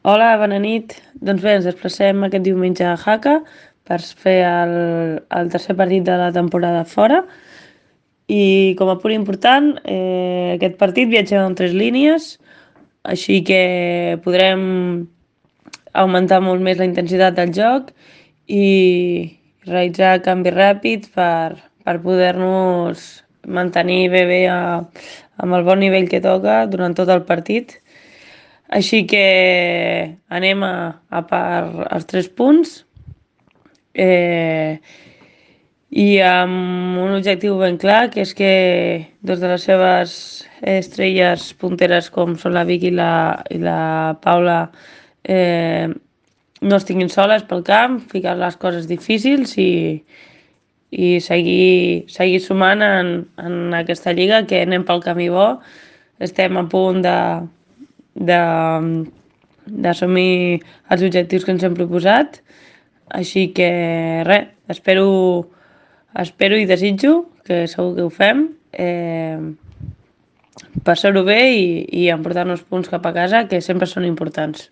Hola, bona nit. Doncs bé, ens desplacem aquest diumenge a Jaca per fer el tercer partit de la temporada fora. I com a punt important, aquest partit viatgem en 3 línies, així que podrem augmentar molt més la intensitat del joc i realitzar canvis ràpids per poder-nos mantenir bé amb el bon nivell que toca durant tot el partit. Així que anem a per els 3 punts eh, i amb un objectiu ben clar, que és que dos de les seves estrelles punteres, com són la Vicky i la Paula, no estiguin soles pel camp, ficar les coses difícils i seguir sumant en aquesta lliga, que anem pel camí bo. Estem a punt de d'assumir els objectius que ens hem proposat. Així que res, espero i desitjo, que segur que ho fem, passar-ho bé i emportar-nos punts cap a casa, que sempre són importants.